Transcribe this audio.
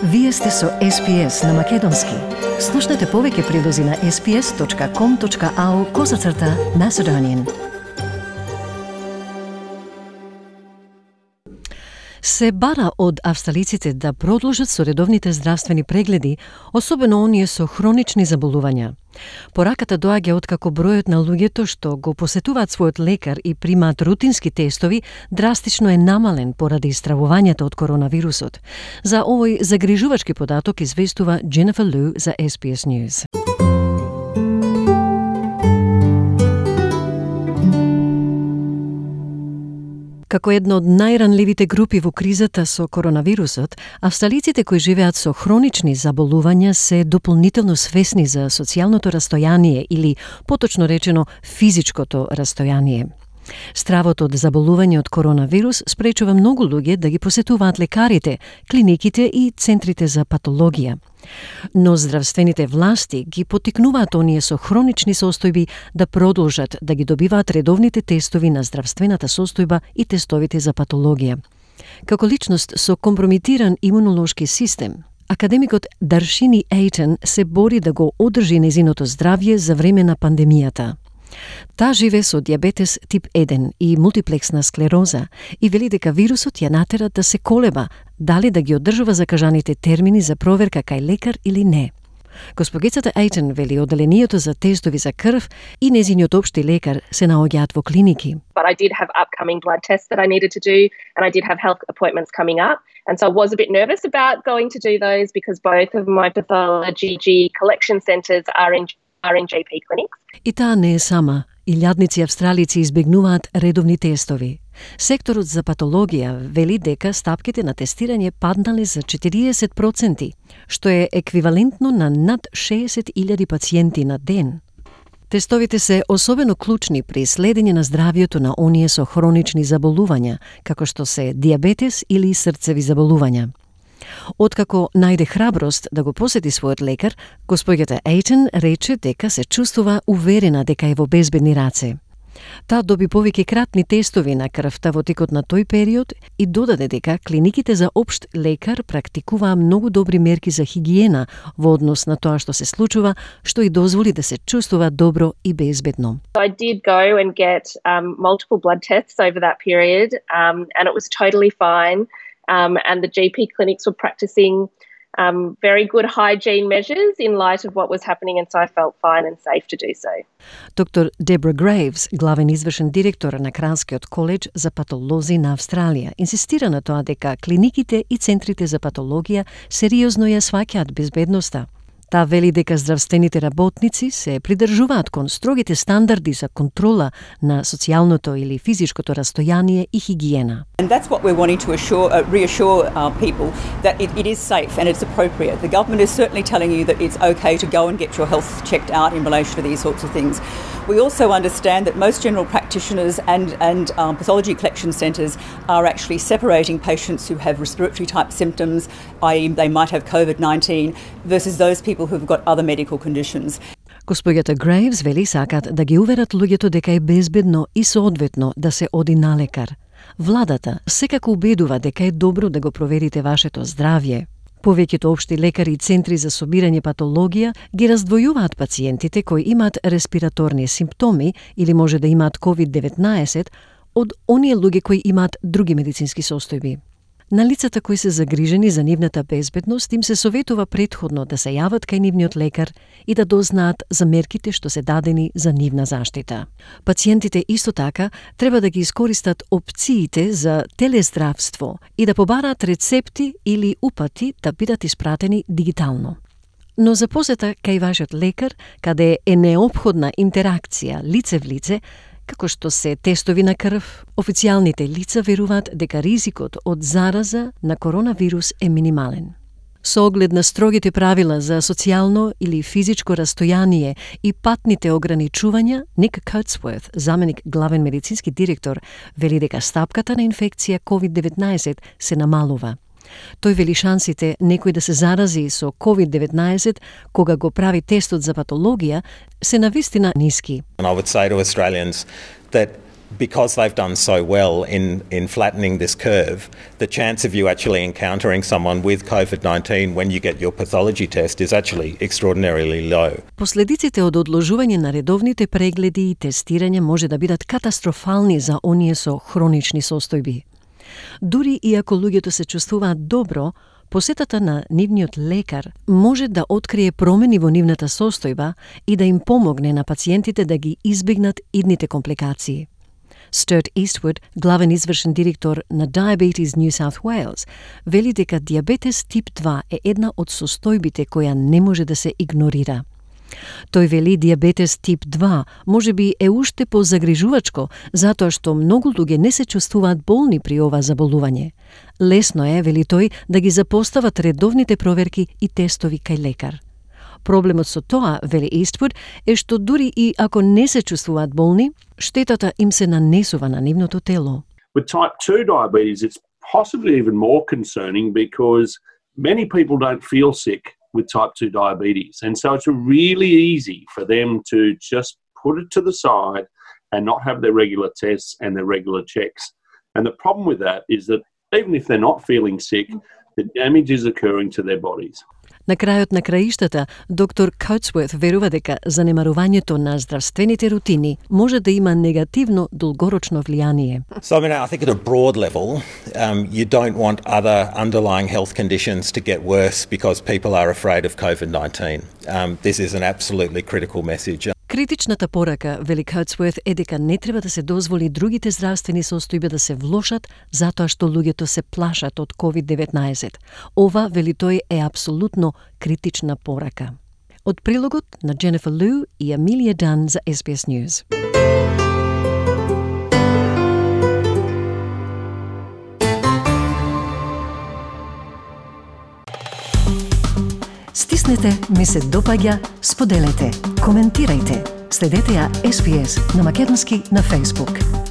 Вие сте со SPS на Македонски. Слушнете повеќе прилози на sps.com.au/Macedonian. Се бара од австралиците да продолжат со редовните здравствени прегледи, особено оние со хронични заболувања. Пораката доаѓа откако бројот на луѓето што го посетуваат својот лекар и примаат рутински тестови драстично е намален поради стравувањето од коронавирусот. За овој загрижувачки податок известува Jennifer Liu за SBS News. Како една од најранливите групи во кризата со коронавирусот, австралиците кои живеат со хронични заболувања се дополнително свесни за социјалното растојание или, поточно речено, физичкото растојание. Стравот од заболување од коронавирус спречува многу луѓе да ги посетуваат лекарите, клиниките и центрите за патологија. Но здравствените власти ги поттикнуваат оние со хронични состојби да продолжат да ги добиваат редовните тестови на здравствената состојба и тестовите за патологија. Како личност со компрометиран имунолошки систем, академикот Darshini Ayten се бори да го одржи незиното здравје за време на пандемијата. Таа живе со диабетес тип 1 и мултиплексна склероза и вели дека вирусот ја натера да се колеба дали да ги одржува закажаните термини за проверка кај лекар или не. Госпогицата Ayten вели оделението за тестови за крв и незиниот општи лекар се наоѓаат во клиники. But I did have upcoming blood tests that I needed to do, and I did have health appointments coming up. And so I was a bit nervous about going to do those because both of my pathology collection centres are in GP clinics. И таа не е сама. Илјадници австралици избегнуваат редовни тестови. Секторот за патологија вели дека стапките на тестирање паднале за 40%, што е еквивалентно на над 60.000 пациенти на ден. Тестовите се особено клучни при следење на здравјето на оние со хронични заболувања, како што се диабетес или срцеви заболувања. Откако најде храброст да го посети својот лекар, госпоѓата Ayten рече дека се чувствува уверена дека е во безбедни раце. Таа доби повеќе кратни тестови на крвта во текот на тој период и додаде дека клиниките за општ лекар практикуваа многу добри мерки за хигиена во однос на тоа што се случува, што и дозволи да се чувствува добро и безбедно. I did go and get multiple blood tests over that period, and it was totally fine. And the GP clinics were practicing very good hygiene measures in light of what was happening, and so I felt fine and safe to do so. Доктор Deborah Graves, главен извршен директор на Кралскиот коледж за патолози на Австралија, инсистира на тоа дека клиниките и центрите за патологија сериозно ја сваќаат безбедноста. Таа вели дека здравствените работници се придржуваат кон строгите стандарди за контрола на социјалното или физичкото растојание и хигиена. And that's what we're wanting to reassure people that it is safe and it's appropriate. The government is certainly telling you that it's okay to go and get your health checked out in relation to these sorts of things. We also understand that most general practitioners and pathology collection centres are actually separating patients who have respiratory type symptoms, i.e. they might have COVID-19, versus those people who've got other medical conditions. Госпоѓата Грейвс вели сакат да ги уверат луѓето дека е безбедно и соодветно да се оди на лекар. Владата секако убедува дека е добро да го проверите вашето здравје. Повеќето општи лекари и центри за собирање патологија ги раздвојуваат пациентите кои имаат респираторни симптоми или може да имаат COVID-19 од оние луѓе кои имаат други медицински состојби. На лицата кои се загрижени за нивната безбедност им се советува претходно да се јават кај нивниот лекар и да дознаат за мерките што се дадени за нивна заштита. Пациентите исто така треба да ги искористат опциите за телездравство и да побараат рецепти или упати да бидат испратени дигитално. Но за посета кај вашиот лекар, каде е неопходна интеракција лице в лице, како што се тестови на крв, официјалните лица веруваат дека ризикот од зараза на коронавирус е минимален. Со оглед на строгите правила за социјално или физичко растојание и патните ограничувања, Ник Coatsworth, заменик главен медицински директор, вели дека стапката на инфекција COVID-19 се намалува. Тој вели шансите некој да се зарази со COVID-19 кога го прави тестот за патологија се навистина ниски. And I would say to Australians that because they've done so well in flattening this curve, the chance of you actually encountering someone with COVID-19 when you get your pathology test is actually extraordinarily low. Последиците од одложување на редовните прегледи и тестирање може да бидат катастрофални за оние со хронични состојби. Дури и ако луѓето се чувствуваат добро, посетата на нивниот лекар може да открие промени во нивната состојба и да им помогне на пациентите да ги избегнат идните компликации. Stuart Eastwood, главен извршен директор на Diabetes New South Wales, вели дека диабетес тип 2 е една од состојбите која не може да се игнорира. Тој вели диабетес тип 2 може би е уште позагрижувачко, затоа што многу луѓе не се чувствуваат болни при ова заболување. Лесно е, вели тој, да ги запостават редовните проверки и тестови кај лекар. Проблемот со тоа, вели Eastwood, е што дури и ако не се чувствуваат болни, штетата им се нанесува на нивното тело. With type 2 diabetes, it's possibly even more concerning because many people don't feel sick with type 2 diabetes. And so it's really easy for them to just put it to the side and not have their regular tests and their regular checks. And the problem with that is that even if they're not feeling sick, the damage is occurring to their bodies. На крајот на краиштата, доктор Coatsworth верува дека занемарувањето на здравствените рутини може да има негативно долгорочно влијание. So I think at a broad level, you don't want other underlying health conditions to get worse because people are afraid of COVID-19. This is an absolutely critical message. Критичната порака, вели Coatsworth, е дека не треба да се дозволи другите здравствени состојби да се влошат затоа што луѓето се плашат од COVID-19. Ова, вели тој, е апсолутно критична порака. Од прилогот на Jennifer Liu и Amelia Dunn за SBS News. Стиснете, ми се допаѓа, споделете, коментирајте. Следете ја SBS на македонски на Facebook.